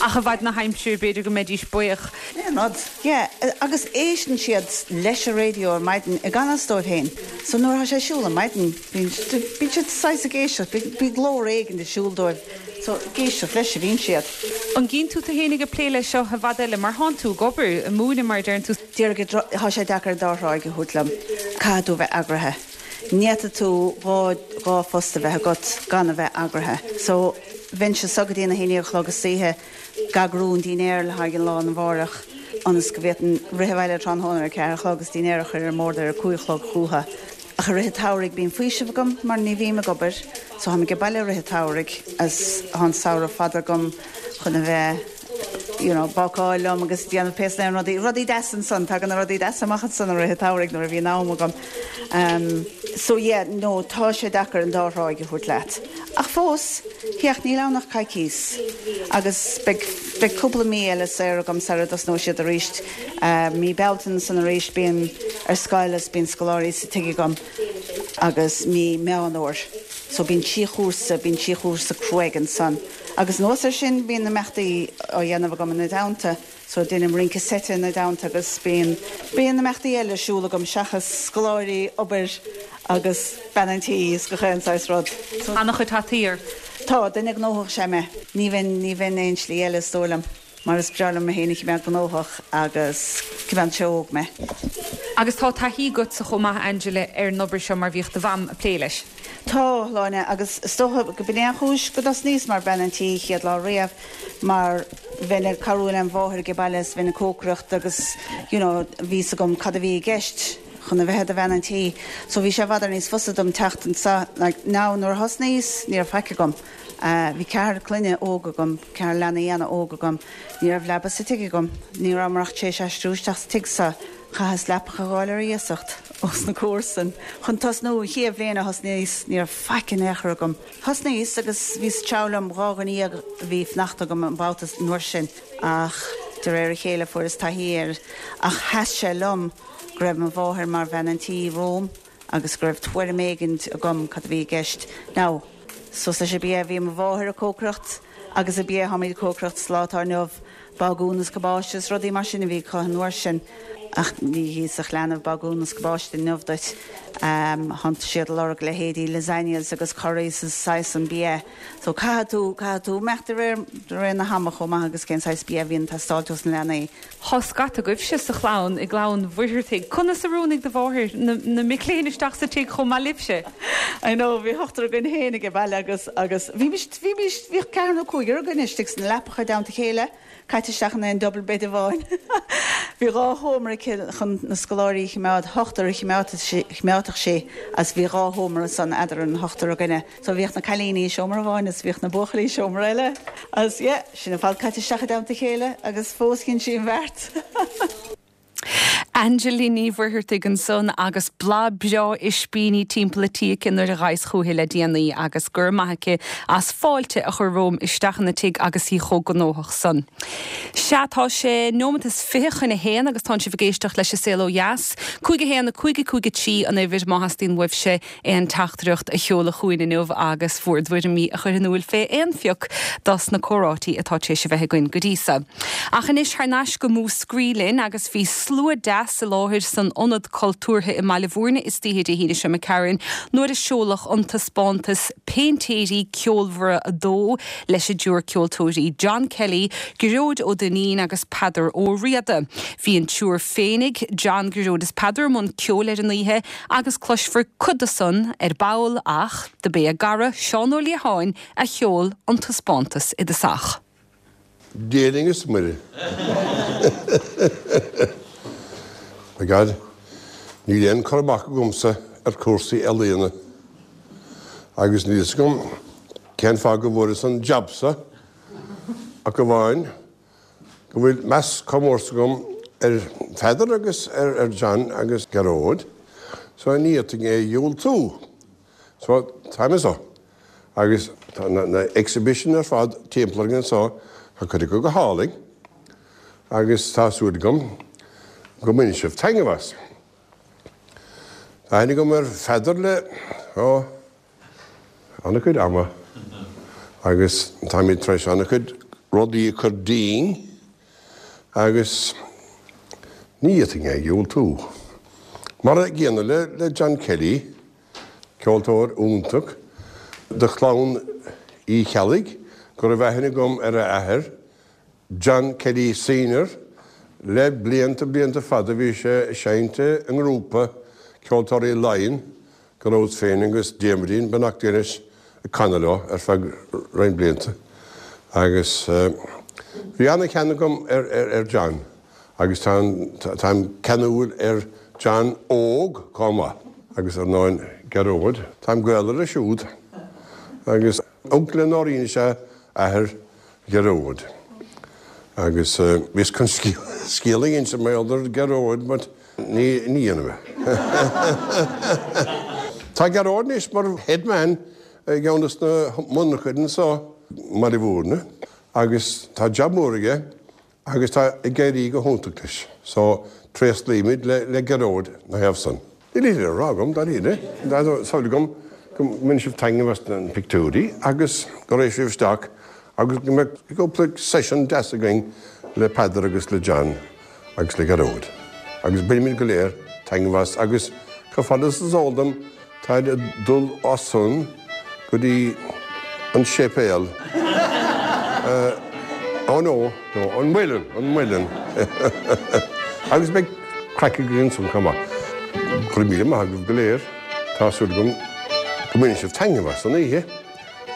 Ach i bhfad na haimsire, b'fhéidir go mbeidís buíoch. Aon rud. Yeah, agus éisteann siad leis an raidió ar maidin i gan fhios dóibh féin. So nuair atá sé ar siúl ar maidin, bíonn, bíonn siad saghas ag éisteacht, bíonn, bíonn glór éigin ar siúl dóibh So ag éisteacht leis a bhíonn siad. An gcíonn tú tú fhéinig ag plé leis seo i bhfad eile mar thánn tú ag obair, ag múineadh mar a deireann tú? Déarfainn go tá sé deacair an dá thráigh a thabhairt liom. Caithfidh tú bheith eagraithe. Ní fhéadfaidh tú dhá dhá phost a bheith agat gan a bheith eagraithe. So bheinnse anseo go dtí a haon déag a chlog istoíche ag eagrú an dinnéar le haghaidh an lá arna mhárach ionas go bhféadfainn rith abhaile tráthnóna ar a ceathair a chlog agus dinnéar a chur ar an mbord ar a cúig a chlog chúthu. Ach i rith an tsamhraidh bíonn faoiseamh agam mar ní bhím ag obair so táim age baile i rith an tsamhraidh as tá an samhradh fada agam chun a bheith you know, bácáil liom agus déanamh pé na rudaí rudaí deasa ansan tagann na rudaí deasa amach ansan i rith an tsamhraidh nuair a bhíonn am agam. Um, so yeah, no, tá sé deacair an dá thráigh a thabhairt leat. Ach fós, theach níl ann ach coicís agus beidh beidh cúpla mí eile saor agam sara dtosnóidh siad arís. Uh, mí Bealtaine san arís bím ar scoil is bíonn scoláirí sa tigh agam agus mí Meán Fhómhair. So bíonn trí chúrsa, bíonn trí chúrsa cruaidh ansan. Agus anuas air sin bíonn na imeachtaí á dhéanamh agam ina dteannta, so déanaim rince seite ina dteannta agus bíonn bíonn na imeachtaí eile ar siúl agam seachas scoláirí, obair agus bean an tí is gach aon saghas rud. So An-chuid hataí ort. Tá, duine gnóthach is ea mé. Ní bheinn ní bheinn aon slí eile is dóigh liom, mar is breá liom mé féin a choimeád gnóthach agus coimeádann sé óg mé. Agus tá taithí agatsa chomh maith Angela ar an obair seo mar bhíodh do mham ag plé leis. Tá, Sláine, agus is dócha go b'in é an chúis go dtosnaíos mar bean an tí chéad lá riamh mar bheinn ag cabhrú lem mháthair age baile is bheinn ag cócaireacht agus you know bhí fhios agam cad a bhí i gceist chun a bheith i do bhean an tí. So bhí sé i bhfad ar níos fusa dom teacht anseo like now nuair a thosnaíos ní raibh faic agam. Uh, bhí ceathrar clainne óg agam, ceathrar leanaí an-óg agam, ní raibh leaba sa tigh agam, ní rabhamar ach tar éis aistriú isteach sa tigh seo. Chaitheas leapacha a fháil ar iasacht ós na comharsain. Chun tosnú an chéad bhliain a thosnaíos, ní raibh faic in aon chor agam. Thosnaíos agus bhí sa treabh liom dhá dhuine dhéag a bhí ag fanacht agam an babhta an uair sin ach de réir a chéile fuaireas taithí air ach sheas sé liom go raibh mo mháthair mar bhean an tí romham agus go raibh tuairim éigin agam cad a bhí i gceist. Now, suas leis an bia bhí mo mháthair ag cócaireacht agus an bia tháimid ag cócaireacht sa lá atá inniu bagún is cabáiste is rudaí mar sin a bhí acu an uair sin ach ní híosfadh leanbh bagún is cabáiste inniu duit. Um, Tá siad ag lorg leithéidí lasagnas agus curries is saghas an bia. So caithfidh tú caithfidh tú imeacht de réir de réir na hama chomh maith agus cén saghas bia a bhíonn ag teastáil ós na leanaí. Tá scata agaibhse sa chlann i gclann Mhuircheartaigh. Conas a roghnaigh do mháthair na, na mic léinn isteach sa tigh chomh maith libhse. I know bhí ochtar againn féin age baile agus agus bhí bhí bhí ceathrar nó cúigear againn istigh sna leapacha i dteannta a chéile, caite isteach in aon double bed amháin. Bhí dhá sheomra aici chun na scoláirí a choimeád, ochtar a choimeádfadh sí as bhí dhá sheomra san eadar an ochtar againne. So bhíodh na cailíní i seomra amháin is bhíodh na buachaillí i seomra eile. As yeah, sin ar fad caite isteach i dteannta a chéile agus fós dhein sí an bheart. Angela Ní Mhuircheartaigh ansan agus blas breá ispíní timpeall an tí aici nuair a ghabhas chúithi le déanaí agus go raibh maith aici as fáilte a chur romham isteach ina tigh agus í chomh gnóthach san. Sea tá sé nóiméad is fiche chun a haon agus tá sibh ag éisteacht leis an Saol Ó Dheas. Cúig a haon a cúig a cúig a trí an uimhir má theastaíonn uaibhse aon teachtaireacht a sheoladh chugainn inniu agus bhur dtuairimí a chur in iúl fé aon phioc dos na comhráití atá tar éis a bheith againn go dtí seo. Ach anois thar n-ais go Múscraí linn agus bhí slua deas i láthair san Ionad Cultúrtha i mBaile Bhúirne istoíche Dé hAoine seo McCarran nuair a seoladh an taispeántas Péintéirí Ceolmhara a dó leis an dtriúr ceoltóirí John Kelly, Gearóid Ó Duinnín agus Peadar Ó Riada. Bhí an triúr féinig John Gearóid is Peadar i mbun ceoil ar an oíche agus cloisfear cuid de san ar ball ach do b'é a gcara Seán Ó Liatháin a sheol an taispeántas i dtosach. Dia linn is Muire. My God, níl aon cur amach agamsa ar cúrsaí ealaíona. Agus níl fhios agam cén fáth go bhfuaireas an jab seo ach amháin go bhfuil meas chomh mór san agam ar Pheadar agus ar, ar John agus Gearóid, so ní fhéadfainn é a dhiúltú. So táim anseo. Agus tá na, na exhibition ar fad timpeall orainn anseo, tá cuid acu go hálainn, agus tá súil agam go mbainfidh sibh taitneamh as. Tá aithne agam ar Pheadar le ó, an-chuid ama agus táimid tar éis an-chuid rudaí a chur dínn agus ní fhéadfainn é a dhiúltú. Mar an gcéanna le, le John Kelly, ceoltóir iontach de chlann Uí Cheallaigh, go raibh aithne agam ar a athair, John Kelly Senior, le blianta blianta fada bhí sé ag seinnt i ngrúpa Ceoltóirí Laighean, go rabhas féin agus Diarmuidín, beannacht Dé leis, ag canadh leo ar feadh roinnt blianta. Agus bhí an-cheann agam ar John agus táim ceanúil ar John óg chomh maith. Agus ar ndóin Gearóid, táim gaolmhar leis siúd. Agus uncail le Nóirín is ea athair Ghearóid. Agus bhíos chun scéal a inse mar gheall ar Ghearóid but ní dhéanfaidh mé. Tá Gearóid anois mar head man i gceann des na monarchana anso i mBaile Mhúirne agus tá jab mór aige agus tá ag éirí go hiontach leis. So tréaslaímid le Gearóid ina thaobh san. Níl a thuilleadh le rá agam, dáiríre. Tá súil agam go mbainfidh sibh taitneamh as na pictiúirí agus go raghaidh sibh isteach agus go mbeidh cúpla session deas againn le Peadar agus le John agus le Gearóid. Agus bainfimid go léir taitneamh as agus chomh fada is is eol dom táid ag dul as san go dtí an séipéal. Oh no, no, an Muileann, an Muileann. Agus beidh craic againn ansan chomh maith. Go raibh míle maith agaibh go léir. Tá súil agam go mbainfidh sibh taitneamh as an oíche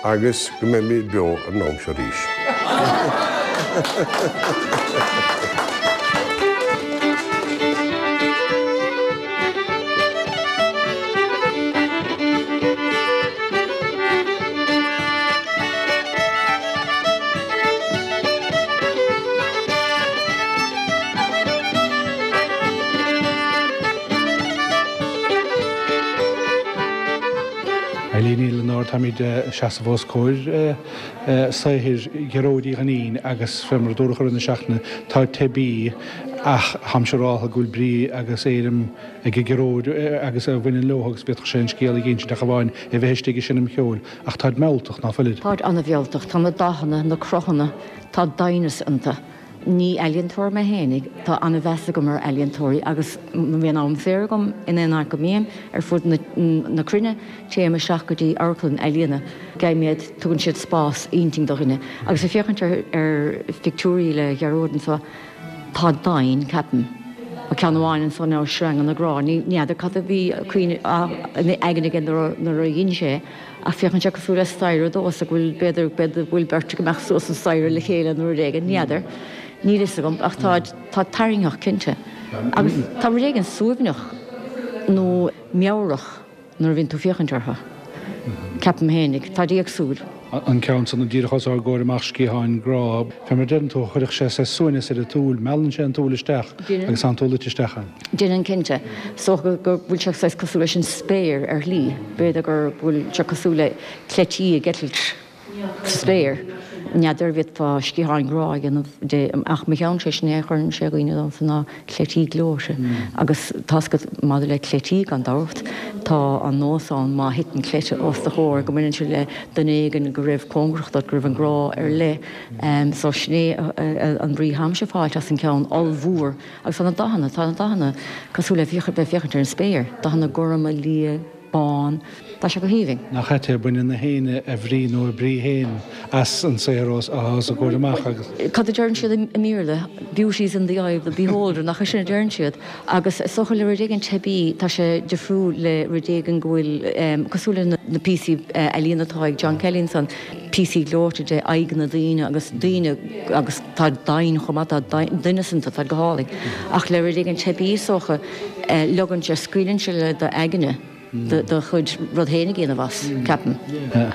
agus go mbeimid beo ar an am seo arís. Eileen Ní Lionáird, Táimid ag seasamh os comhair saothair Ghearóid Uí Dhuinnín agus fé mar a dúradh i rith na seachtaine, táid teibí ach táim siúráltha go bhfuil brí agus éirim ag Gearóid agus a bhaineann leo agus bhféadfadh sé an scéal a dh'insint ach amháin é bheith istigh ag seinm cheoil. Ach táid mealltach, ná fuilid? Táid an-mhealltach. Tá na dathanna, na cruthanna, tá doimhneas iontu. Ní ealaíontóir mé fhéinig, tá an-mheas agam ar ealaíontóirí agus má bhíonn am saor agam in aon áit go mbím ar fud na cruinne, téim isteach go dtí amharclann ealaíona. Gabhaim iad, tugann siad spás intinn do dhuine. Agus ag féachaint ar phictiúirí le Gearóid anseo, tá doimhin, ceapaim. Tá ceann amháin anso ná Sreanga na Grá. Ní fheadar cad a bhí ina aigne aige nuair a dhein sé é, ach féachann sé cosúil le staighre dó is go bhfuil, b'fhéidir, b'fhéidir go bhfuil beirt ag imeacht suas an staighre le chéile nó rud éigin, ní fheadar. Níl fhios agam, ach tá, tá tarraingtheach, cinnte. Agus tá rud éigin suaimhneach nó meabhrach. nuair a bhíonn tú féachaint orthu. Ceapaim fhéinig. Táid éagsúil. An ceann san díreach os ár gcomhair amach, Sciatháin Grá, fé mar a deireann tú, chuirfeadh sé saghas suaimhneas ar an tsúil, meallann sé an tsúil isteach agus tá an tsúil luite isteach ann. Déanann cinnte. Is dócha go bhfuil sé saghas cosúil leis an spéir ar shlí. B'fhéidir go bhfuil sé cosúil le cleití ag eitilt. sa spéir. N'fheadar an bhféadfá sciatháin ghrá a dhéanamh de ach mo cheannsa sin é a chuireann sé i gcuimhne domsa ná cleití gleoite. Agus tá's agat maidir le cleití gan dabht, tá an nós ann má thiteann cleite os do chomhair go mbaineann sé le duine éigin go raibh cóngarach duit, go raibh an grá ar leith. So sin é an bhrí atáimse ag fáilt as an gceann ollmhór. Agus tá na dathanna, tá na dathanna cosúil le bheith ag féachaint ar an spéir, dathanna gorma, liath, bán. Tá sé go haoibhinn. Nach ait é, baineann na héinne a bhrí nó a brí féin as an saothar os a gcomhair amach agus. Cad a deireann siad i mBéarla? Beauty is in the eye of the beholder, nach é sin a deireann siad? Agus is dócha le rud éigin teibí, tá sé difriúil le rud éigin go bhfuil, cosúil le na píosaí ealaíona atá ag John Kelly ansan, píosaí gleoite de aghaidheanna daoine agus daoine agus tá doimhin chomh maith, tá doimhneas iontu, tá go hálainn. Ach le rud éigin teibí is dócha, leogann sé, scaoileann sé le d'aigne. do chuid rud féin a dhéanamh as, ceapaim.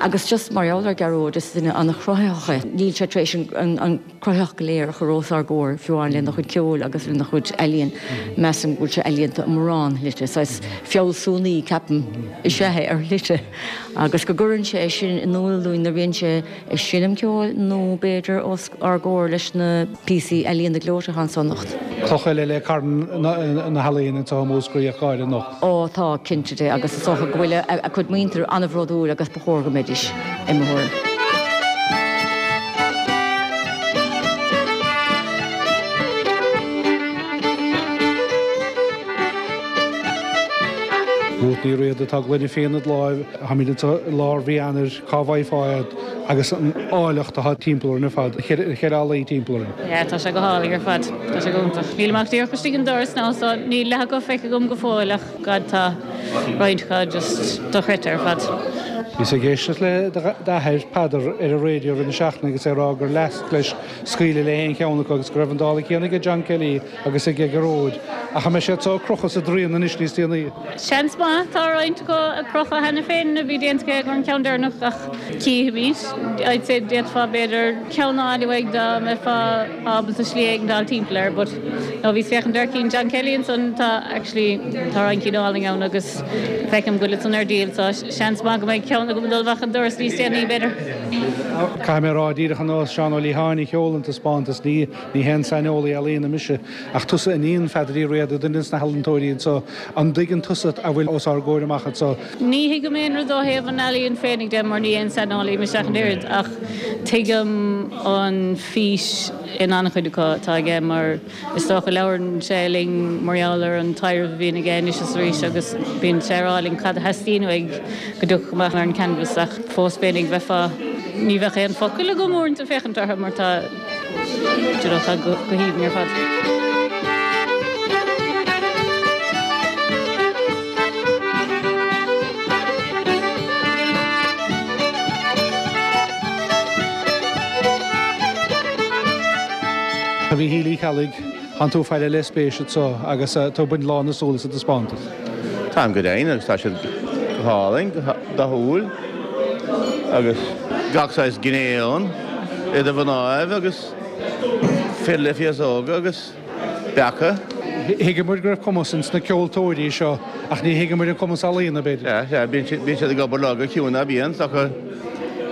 Agus just mar gheall ar Ghearóid, is duine an-chruthaitheach é. Níl sé tar éis an chruthaitheacht go léir a chur os ár gcomhair, fiú amháin lena chuid ceoil agus lena chuid ealaíon. Measaim go bhfuil sé ealaíonta i mórán shlite. Saghas fealsúnaí, ceapaim, is ea é ar shlite. Agus go gcuireann sé é sin in iúl dúinn nuair a bhíonn sé ag seinm ceoil nó b'fhéidir os ár gcomhair leis na píosaí ealaíona gleoite atá anso anocht. Cloch eile le carn na healaíon anseo i Múscraí ach go háirithe anocht. Ó tá, cinnte de, agus is dócha go bhfuil a cuid muintir an-bhródúil agus ba chóir go mbeidís, i mo thuairim. Rút Ní Riada tá gloine fíona id láimh, táimid anseo i lár mhí Eanáir, cá bhfaighfeá iad agus an áilleacht atá timpeall orainn ar fad, na ceithre hallaí timpeall orainn. Yeah, tá sé go hálainn ar fad, tá sé go hiontach. Nílim ach díreach istigh an doras now so níl leath acu feicthe agam go fóill ach God tá roinnt acu just dochreidte ar fad. Bhíos ag éisteacht le d'athair, Peadar, ar an raidió roimh na seachtaine agus é ag rá gur leasc leis scaoileadh le haon cheann acu agus go raibh an dála céanna aige John Kelly agus aige Gearóid. Ach an mbeidh siad so ag crochadh sa dtraíon anois níos déanaí? Seans maith. Tá roinnt acu ag crochadh cheana féin a bhí déanta aige an ceann deireanach ach cífimid. I'd say d'fhéadfá b'fhéidir ceann a fháil uaidh dá mbeifeá ábalta slí éigin a fháil timpeall air but no bhíos féachaint ar cinn John Kelly ansan tá actually tá roinnt cinn álainn ann agus feicim go bhfuil san ar díol so seans maith go mbeidh ceann agam ag dul amach an doras níos déanaí b'fhéidir. Caithfidh mé a rá díreach ar nós Seán Ó Liatháin a sheol an taispeántas, ní ní haon saineolaí ealaíona mise, ach tusa iníon Pheadair Uí Riada, duine des na healaíontóirí anseo, an dtuigeann tusa a bhfuil os ár gcomhair amach anseo? Ní thuigim aon rud ó thaobh an ealaíon féinig de mar ní aon saineolaí mise ach an oiread ach tuigim an fís in an-chuid acu atá aige mar is dócha labhrann sé linn mar gheall ar an taidhreamh a bhíonn aige anois is arís agus bíonn sé ag rá linn cad a theastaíonn uaidh go dtiocfadh amach ar an canvas ach fós féinig bheifeá ní bheadh aon focal agam uaireanta féachaint orthu mar tá you know, tá go haoibhinn ar fad. A Mhíchíl Uí Cheallaigh, tánn tú ag faire le spéis anseo agus tú ag baint lán na súl as an taispeántas. Táim go deimhin agus tá siad go hálainn, go dathúil agus gach saghas gné ann, idir mhnáibh agus fir le féasóga agus beacha. Thuigeamar go raibh cumas ins na ceoltóirí seo ach ní thuigeamar an cumas ealaíona, b'fhéidir. Sea, sea, bíonn siad ag obair lá go ciúin ná bíonn, is dócha.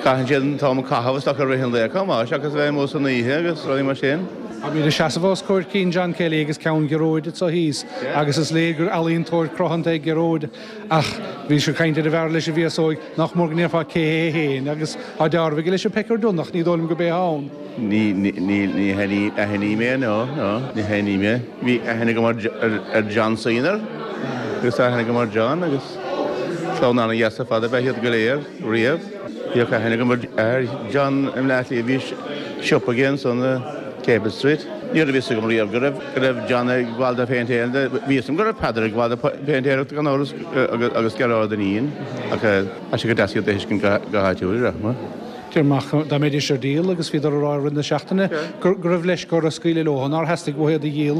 Caitheann siad an t-am ag caitheamh is dócha i rith an lae chomh maith seachas a bheith amuigh san oíche agus rudaí mar sin. Táimid ag seasamh os comhair cinn John Kelly agus ceann Ghearóid anseo thíos agus is léir gur ealaíontóir cruthanta é Gearóid ach bhís ag caint ar an bhfear leis an bhféasóig nach mór go ndéarfá cé hé féin agus tá dealramh aige leis an Pecker Dunne ach ní dóigh liom go b'é ann. Ní, ní, ní aithním é, no, no, ní aithním é. Bhí aithne agam ar John Senior agus tá aithne agam ar John agus clann an-dheas ar fad ab ea iad go léir riamh. Bhíodh aithne agam ar John i mBleá Cliath, bhí siopa aige ansan i Capel Street. Ní raibh fhios agam riamh go raibh go raibh John ag gabháil de phéintéireacht, bhí fhios agam go raibh Peadar ag gabháil de phéintéireacht gan amhras agus Gearóid Dineen ach tá sé go deas iad a thuiscint go háitiúil, a rachma. Deir amach dá mbeidís ar díol agus bhíodar ag rá i rith na seachtaine go raibh leisce orthu scaoileadh leo, nár theastaigh uathu iad a dhíol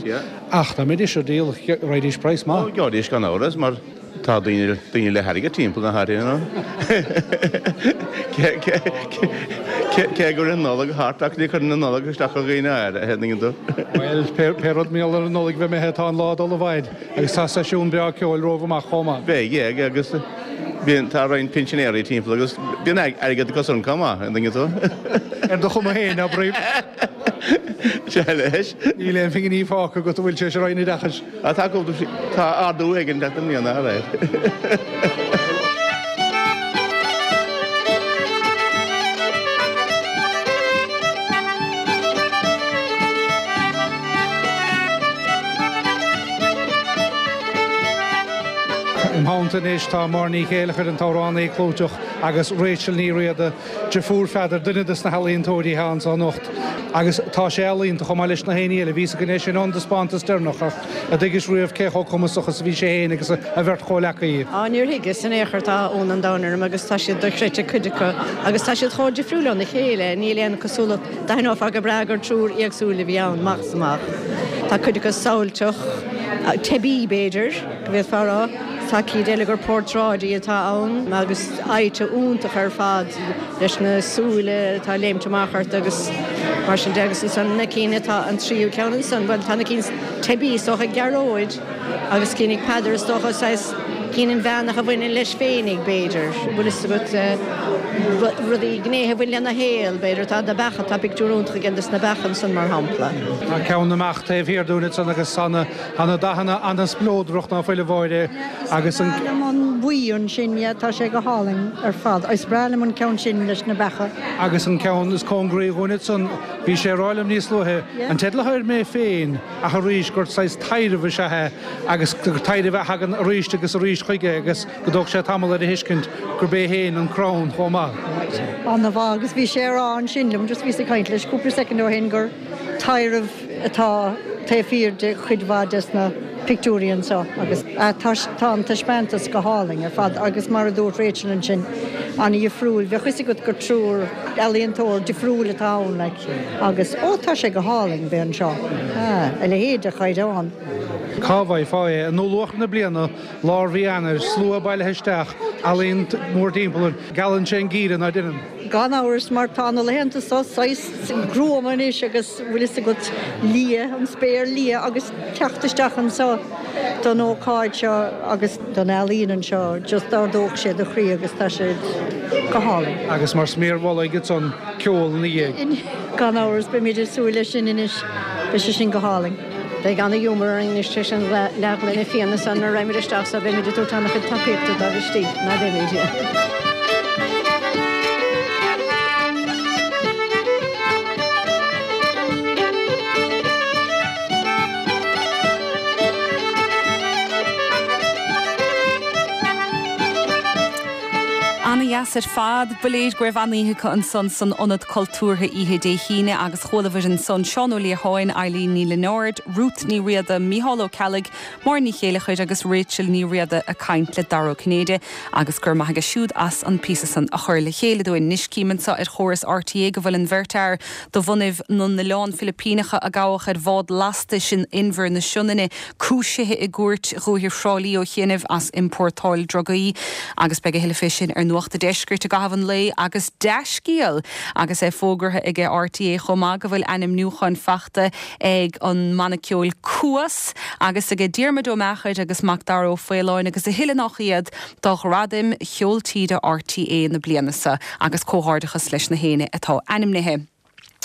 ach dá mbeidís ar díol raghaidís praghas maith. Gheobhaidís gan amhras mar tá daoine daoine le hairgead timpeall na háite you know. Cé go raibh an Nollaig thart ach ní chuireann an Nollaig isteach ar dhaoine áirithe, an dtuigeann tú. Bhuel, pé rud mar gheall ar an Nollaig bheith imithe tá an lá ag dul i bhfaid agus tá seisiún breá ceoil romhaibh amach chomh maith. Beidh, agus Bíonn, tá roinnt pinsinéirí timpeall agus bíonn airgead acu san chomh maith, an dtuigeann tú. Ar do chuma féin, abraím. Sea leis. Níl aon phinginí fágtha agat a bhfuil sé ar Roinn Oideachais. Á, tá, tá ardú éigin ag teacht i mbliana, alright. Im theannta anois tá Máire Ní Chéileachair, an t-amhránaí clúiteach, agus Rachel Ní Riada, deirfiúr Pheadair, duine de na healaíontóirí atá anseo anocht. Agus tá sé ealaíonta chomh maith leis na héinní eile. Bhí fhios againn é sin ón dtaispeántas deireanach ach a dtuigis riamh cé chomh cumasach is a bhí sé féin agus a bheirt chomhleacaí. Á, níor thuigeas in aon chor, tá ionadh an domhain orm agus tá siad dochreidte cuid acu agus tá siad chomh difriúil óna chéile, níl aon cosúlacht, d'aithneofá go breá gur triúr éagsúil a bhí ann, amach is amach. Tá cuid acu samhailteach, teibí b'fhéidir. go bhféadfá a rá. Tá cinn eile gur portráidí atá ann agus aghaidheanna iontach ar fad leis na súile atá ag léimt amach ort agus mar sin de agus ansan na cinn atá an tríú ceann ansan, bhuel tá na cinn teibí is dócha ag Gearóid agus cinn ag Peadar is dócha saghas cinn inmheánach a bhaineann leis féinig b'fhéidir, bhfuil fhios agat, rudaí, gnéithe a bhain lena shaol b'fhéidir, tá na beacha, tá pictiúr iontach aige des na beacha ansan mar shampla. Tá ceann na mbeach taobh thiar dúinn ansan agus tá na Tá na dathanna an-spleodrach ná fuil a Mháire agus an. Is breá liom an buí ansin, yeah, tá sé go hálainn ar fad. Is breá liom an ceann sin leis na beacha. Agus an ceann is cóngaraí dhúinn ansan, bhí sé ag rá liom níos luaithe, an teideal atá air Mé Féin ach arís gur saghas taidhreamh is ea é agus gur taidhreamh a thagann arís agus arís chuige agus go dtóg sé tamall air a thuiscint gurb é féin an crann chomh maith. An-mhaith agus bhí sé a rá ansin liom, just bhíos ag caint leis cúpla soicind ó shin gur taidhreamh atá taobh thiar de chuid mhaith des na pictiúirí anseo agus tá an taispeántas go hálainn ar fad agus mar a dúirt Rachel ansin, an-dhifriúil, bheadh fhios agat gur triúr ealaíontóir difriúil atá ann like agus ó tá sé go hálainn bheith anseo, a leithéid de chaighdeán. Cá bhfaighfeá é? I ndúluachair na bliana, lár mhí Eanáir, slua bailithe isteach, ealaín mórthimpeall air. Geallann sé an geimhreadh, ná deineann? Gan amhras, mar tá na laethanta seo saghas gruama anois agus bhfuil fhios agat, liath, an spéir liath agus teacht isteach anseo don ócáid seo agus don ealaín anseo, just d'ardódh sé do chroí agus tá sé go hálainn. Agus mar sméar mhullaigh ansan, ceol ina dhiaidh. Gan amhras, beimid ag súil leis sin anois, beidh sé sin go hálainn. Beidh ana-ghiúmar orainn anois tar éis an leathghloine fíona san nuair a raghaimid isteach so beimid ag tabhairt ana-chuid tacaíochta dóibh istigh, ná beimid? Ana-dheas ar fad. Ba léir go raibh an-oíche acu ansan san Ionad Cultúrtha oíche Dé hAoine agus chualabhair ansan Seán Ó Liatháin, Eileen Ní Lionáird, Ruth Ní Riada, Mícheál Ó Ceallaigh, Máire Ní Chéileachair agus Rachel Ní Riada ag caint le Dara Ó Cinnéide agus go raibh maith aige siúd as an píosa san a chur le chéile dúinn. Anois cím anseo ar chóras RTÉ go bhfuil an bheirt fhear de bhunaibh na nOileán Filipíneacha a gabhadh ar bhád lastais in Inbhear na Sionainne cúisithe i gCúirt Dhúiche Thrá Lí ó chianaibh as iompórtáil drugaí agus beidh a thuilleadh fé sin ar Nuacht a' Deiscirt i gcaitheamh an lae agus dea-scéal agus é fógartha aige RTÉ chomh maith go bhfuil ainmniúcháin fachta ag an mbanna ceoil Cuas agus aige Diarmuid Ó Meachair agus Macdara Ó Faoláin agus a thuilleadh nach iad do Ghradaim Cheol Tíre RTÉ na bliana seo agus comhghairdeachas leis na héinne atá ainmnithe.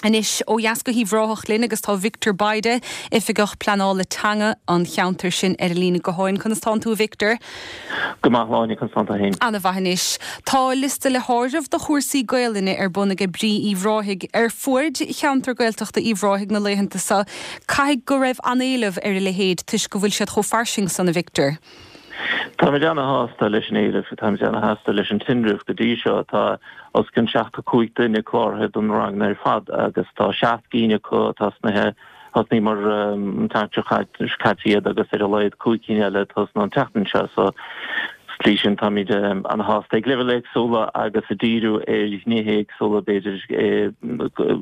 Anois ó dheas go hUíbh Ráthach linn agus tá Victor Bayda, Oifigeach Pleanála Teanga an cheantair sin ar an líne gutháin. Conas tánn tú a Victor? Go maith a Shláine, conas tánn tú féin? Ana mhaith anois. Tá liosta le háireamh do chúrsaí Gaelainne ar bun aige Brí Uíbh Ráthaigh ar fuaid cheantar Gaeltachta Uíbh Ráthaigh na laethanta seo. Caithfidh go raibh an-éileamh ar a leithéid toisc go bhfuil siad chomh fairsing san a Victor. Táimid ana-shásta leis an éileamh, táimid ana-shásta leis an tinreamh go dtí seo. Tá os cionn seachtó cúig duine cláraithe don ranganna ar fad agus tá seacht gcinn acu atá tosnaithe, thosnaíomar an tseachtain seo caite iad agus ar a laghad cúig cinn eile ag tosnú an tseachtain seo. So sa tslí sin táimid ana-shásta ag leibhéil éagsúla agus ag díriú ar ghnéithe éagsúla, b'fhéidir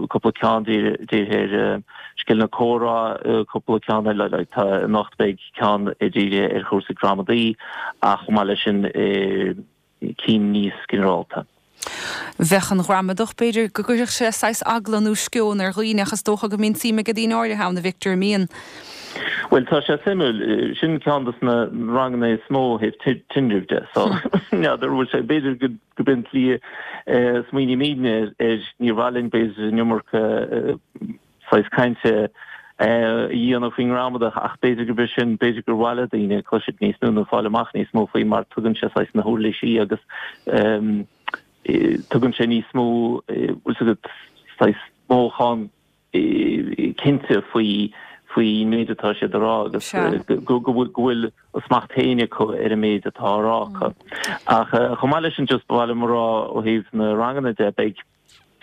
cúpla ceann dírithe ar scileanna comhrá, cúpla ceann eile, like tá anocht beidh ceann dírithe ar chúrsaí gramadaí ach chomh maith leis sin cinn níos ginearálta. Bheadh an ghramadach, b'fhéidir go gcuirfeadh sé saghas eagla nó sceon ar dhaoine ach is dócha go mbíonn suim ag daoine áirithe ann, a Victor, an mbíonn? Bhuel, tá sé suimiúil. Sin ceann dos na ranganna is mó ó thaobh tinrimh de. So, n'fheadar an bhfuil sé, b'fhéidir go b'in an tslí a smaoinímidne air, níor mhaith linn b'fhéidir an iomarca saghas cainte a dhéanamh faoin ngramadach ach b'fhéidir gurb é sin, b'fhéidir gur mhaith le daoine cloisteáil níos mó nó fáil amach níos mó faoi mar tugann sé saghas na huirlisí agus tugann sé níos mó, bhfuil 's agat, saghas mothúchán cinnte faoi faoin méid atá siad a rá agus go bhfuil a smacht féin acu ar an méid atá á rá acu. Ach chomh maith leis sin just ba mhaith liom a rá ó thaobh na ranganna de, beidh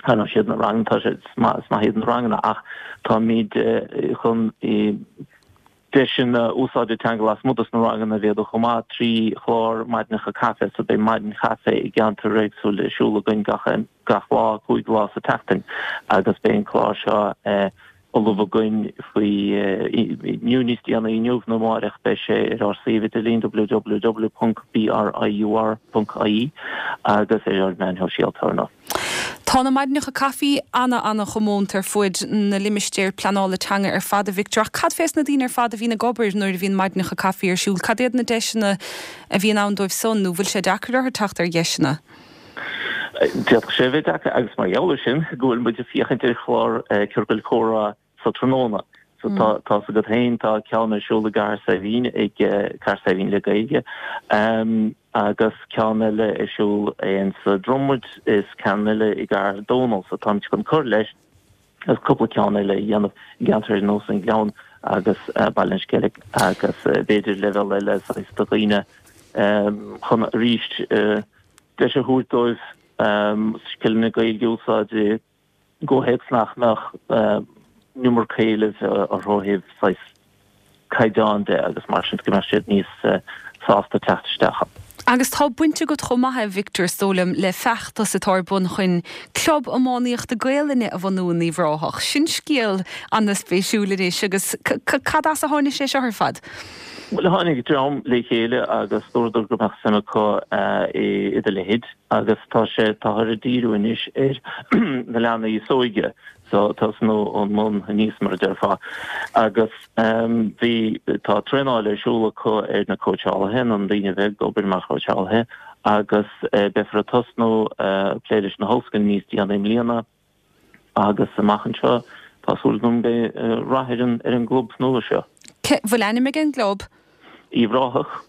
Ar ndóigh siad na ranganna, tá sé, is maith iad na ranganna ach táimid chun deiseanna úsáide teanga lasmuigh dos na ranganna a mhéadú chomh maith trí chlár maidineacha caife. So beidh maidin chaife i gceantar éagsúil ar siúl againn gach gach lá, cúig lá sa tseachtain agus beidh an clár seo ullamh againn faoi inniu níos déanaí inniu nó amáireach beidh sé ar ár suíomh idirlín www ponc briur ponc ie agus ar ár meáin shóisialta ar ndóigh. Tá na maidineacha caife ana ana chomónta ar fuaid na limistéir pleanála teanga ar fad a Victor ach cad fés na daoine ar fad a bhíonn ag obair nuair a bhíonn maidineacha caife ar siúl? Cad iad na deiseanna a bhíonn ann dóibh san nó bhfuil sé deacair orthu teacht ar dheiseanna? D'fhéadfadh sé a bheith deacair agus mar gheall air sin go bhfuil muid ag féachaint ar chlár ciorcail chomhrá sa tráthnóna. So tá tá's agat féin tá ceann ar siúl i gCathair Saidhbhín ag Cathair Saidhbhín le Gaeilge agus ceann eile ar siúl in sa Dromad is ceann eile i gCathair Dónall. So táimid chun cur leis agus cúpla ceann eile a dhéanamh i gceantair ar nós an Gleann agus Baile an Sceilg agus b'fhéidir leibhéal eile saghas do dhaoine chun arís deis a thabhairt dóibh scileanna Gaeilge a úsáid i gcomhthéacs nach mbeadh an iomarca éilimh orthu ó thaobh saghas caighdeán de agus mar sin go mbeadh siad níos sásta teacht isteach ann. Agus tá baint agat chomh maith, a Victor, is dóigh liom, le feachtas atá ar bun chun Club Iománaíochta Gaelainne a bhunú in Uíbh Ráthach. Sin scéal an-spéisiúil anois agus cad as a tháinig sé seo ar fad? Bhuel, tháinig dream le chéile agus dúradar go mbeadh suim acu i do leithéid agus tá sé, táthar ag díriú anois ar na leanaí is óige, so tosnú ón mbun aníos mar a déarfá. Agus bhí, tá traenáil ar siúl acu ar na cóitseálaithe, na daoine a bheidh ag obair mar chóitseálaithe agus beifear ag tosnú plé leis na hollscoileanna níos déanaí i mbliana. Agus amach anseo, tá súil agam go mbeidh rath ar an ar an gclub nua seo. Cé bhfuil ainm ag an gclub? Uíbh Ráthach.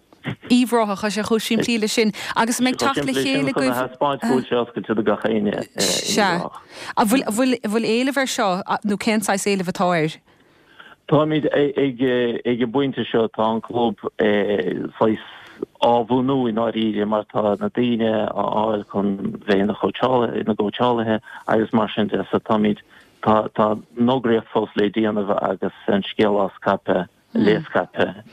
Uíbh Ráthach, tá sé chomh simplí leis sin. Agus an mbeidh teacht le chéile agaibh? Chun a thaispeáint go bhfuil sé oscailte do gach éinne i Uíbh Sea. Ráthach. An bhfuil, bhfuil, bhfuil éileamh air seo nó cén saghas éilimh atá air? Táimid ag an bpointe seo, tá an club saghas á bhunú i ndáiríre mar tá na daoine á fháil chun bheith ina chóitseálaithe, ina gcóitseálaithe agus mar sin de. So táimid, tá, tá an fhógraíocht fós le déanamh agus an scéal á scaipeadh. le scaipeadh.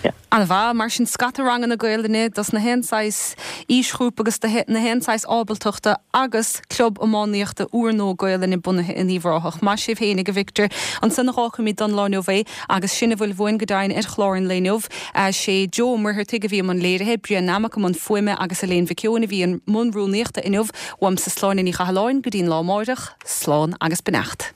Yeah. An-mhaith. Mar sin, scata ranganna Gaelainne dos na haon saghas aoisghrúpa agus do na haon saghas ábaltachta agus club iománaíochta úrnua Gaelainne bunaithe in Uíbh Ráthach. Maith sibh fhéinig, a Victor. Ansan a dh'fhágfaimid don lá inniu é agus sin a bhfuil uainn go deimhin ar chlár an lae inniu. Sé Joe Ó Muircheartaigh a bhí i mbun léirithe, Brian Nammock i mbun fuaime agus Elaine Mhic Eoin a bhí i mbun rúnaíochta inniu. Uaimse Sláine Ní Chathalláin go dtí'n lá amáireach, slán agus beannacht.